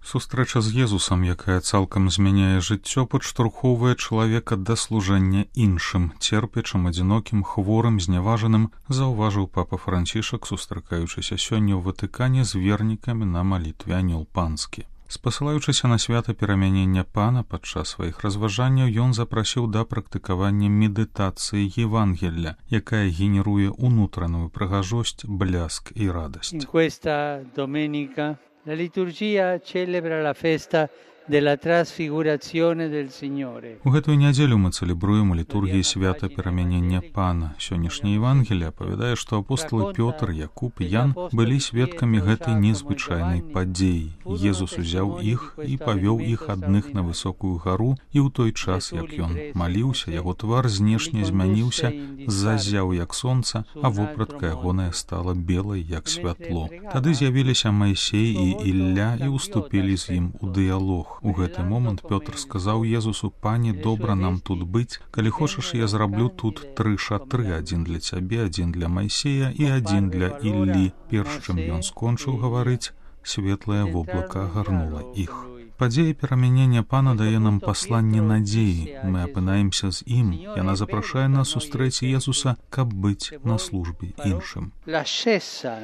Сустрэча з Езусам, якая цалкам змяняе жыццё, падштурхоўвае чалавека да служэння іншым, церпячым, адзінокім, хворым, зняважаным, заўважыў папа Францішак, сустракаючыся сёння ў Ватыкане з вернікамі на малітве Анёл Панскі. Спасылаючыся на свята перамянення Пана, падчас сваіх разважанняў ён запрасіў да практыкавання медытацыі Евангелля, якая генеруе унутраную прыгажосць, бляск і радасць. In questa domenica la liturgia celebra la festa della trasfigurazione del Signore. У гэтую нядзелю мы цэлебруем у літургіі свята перамянення Пана. Сённяшняе Евангелие апавядае, што апостолы Пётр, Якуб і Ян былі сведкамі гэтай незвычайнай падзеі. Езус узяў іх і павёў іх адных на высокую гару, і ў той час, як ён маліўся, яго твар знешне змяніўся, зазяў як сонца, а вопратка ягоная стала белай як святло. Тады з'явіліся Майсей і Ілля і уступілі з ім у дыялог. У гэты момант Пётр сказаў Езусу: «Пане, добра нам тут быць. Калі хочаш, я зраблю тут 3 шатры, адзін для цябе, адзін для Майсея і адзін для Іллі». Перш чым ён скончыў гаварыць, светлае воблака агарнула іх. Падзея перамянення Пана дае нам пасланне надзеі. Мы апынаемся з ім. Яна запрашае нас сустрэць Езуса, каб быць на службе іншым. L'ascesa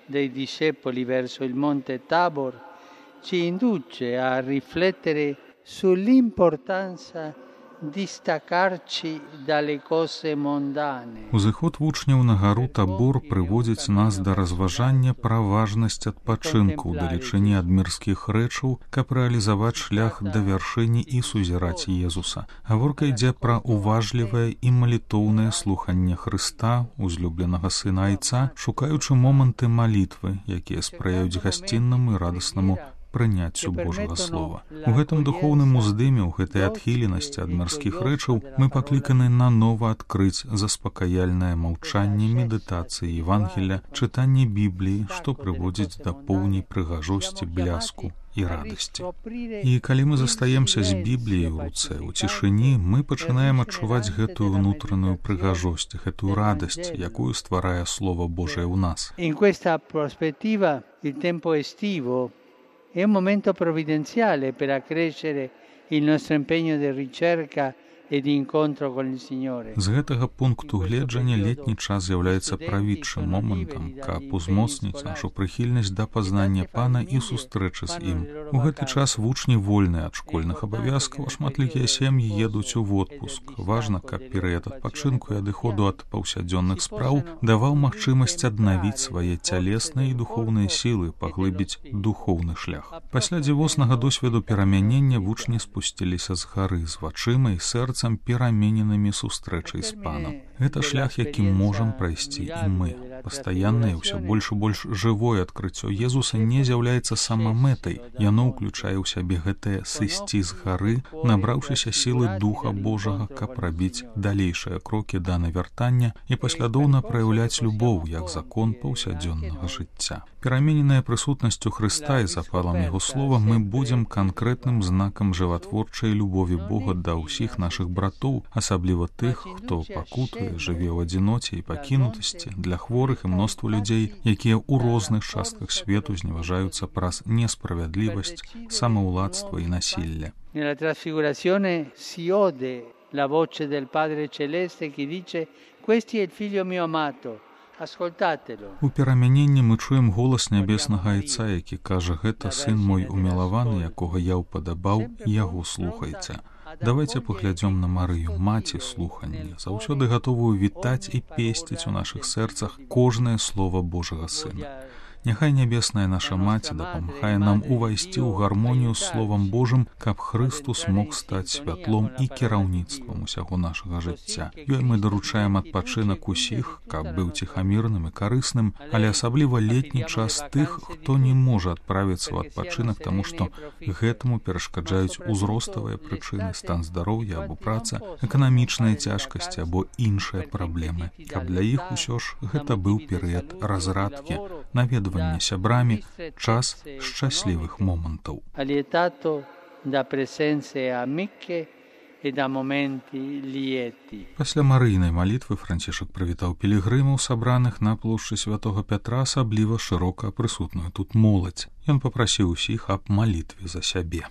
dei discepoli verso il monte Tabor ci induce a riflettere sull'importanza di staccarci dalle cose mondane. Узыход вучняў на гару Табор прыводзіць нас да разважання пра важнасць адпачынку ў далечыні ад мірскіх рэчаў, каб рэалізаваць шлях да вяршыні і сузіраць Езуса. Гаворка ідзе пра уважлівае і малітоўнае слуханне Хрыста, узлюбленага сына Айца, шукаючы моманты малітвы, якія спрыяюць гасціннаму і радаснаму прыняццю Божага Слова. У гэтым духоўным уздыме, у гэтай адхіленасці ад мірскіх рэчаў мы пакліканы нанова адкрыць заспакаяльнае маўчанне, медытацыі Евангелля, чытанне Бібліі, што прыводзіць да поўнай прыгажосці, бляску і радасці. І калі мы застаемся з Бібліяй у руцэ, у цішыні, мы пачынаем адчуваць гэтую ўнутраную прыгажосць, гэтую радасць, якую стварае Слова Божае ў нас. In questa prospettiva, il tempo estivo è un momento provvidenziale per accrescere il nostro impegno di ricerca e di incontro con il Signore. З гэтага пункту гледжання летні час з'яўляецца правідчым момантам, каб узмоцніць нашу прыхільнасць да пазнання Пана і сустрэчы з ім. У гэты час вучні вольныя ад школьных абавязкаў, а шматлікія сем'і едуць у водпуск. Важна, каб перыяд адпачынку і адыходу ад паўсядзённых спраў даваў магчымасць аднавіць свае цялесныя і духоўныя сілы, паглыбіць духоўны шлях. Пасля дзівоснага досведу перамянення вучні спусціліся з гары з вачыма і сэрцам перамененымі сустрэчай з Панам. Гэта шлях, які можам прайсці і мы. Пастаяннае, ўсё больш і больш жывое адкрыццё Езуса не з'яўляецца самамэтай. Яно ўключае ў сябе гэтае сысці з гары, набраўшыся сілы Духа Божага, каб рабіць далейшыя крокі да навяртання і паслядоўна праяўляць любоў як закон паўсядзённага жыцця. Перамененая прысутнасцю Хрыста і запалам Яго Слова мы будзем канкрэтным знакам жыватворчай любові Бога да ўсіх нашых братоў, асабліва тых, хто пакутуе, жыве ў адзіноце і пакінутасці, для хворых і мноства людзей, якія ў розных частках свету зневажаюцца праз несправядлівасць, самаўладства і насілля. Nella trasfigurazione si ode la voce del Padre Celeste che dice: "Questo è il figlio mio amato, ascoltatelo". У перамяненні мы чуем голас нябеснага Айца, які кажа: «Гэта сын мой умілаваны, якога я ўпадабаў, яго слухайце». Давайте паглядзём на Марыю, маці слухання, заўсёды гатовую вітаць і песціць у нашых сэрцах кожнае слова Божага Сына. Няхай нябесная наша маці дапамагае нам увайсці ў гармонію з Словам Божым, каб Хрыстус мог стаць святлом і кіраўніцтвам усяго нашага жыцця. Ёй мы даручаем адпачынак усіх, каб быў ціхамірным і карысным, але асабліва летні час тых, хто не можа адправіцца ў адпачынак, таму што гэтаму перашкаджаюць узроставыя прычыны, стан здароўя або праца, эканамічныя цяжкасці або іншыя праблемы. Каб для іх усё ж гэта быў перыяд разрадкі, наведвання сябрамі, час шчаслівых момантаў. Allietato da presenze amiche e da momenti lieti. Пасля марыйнай малітвы Францішак прывітаў пілігрымаў, сабраных на плошчы святого Пятра, асабліва шырока прысутную тут моладзь. Ён папрасіў усіх аб малітве за сябе.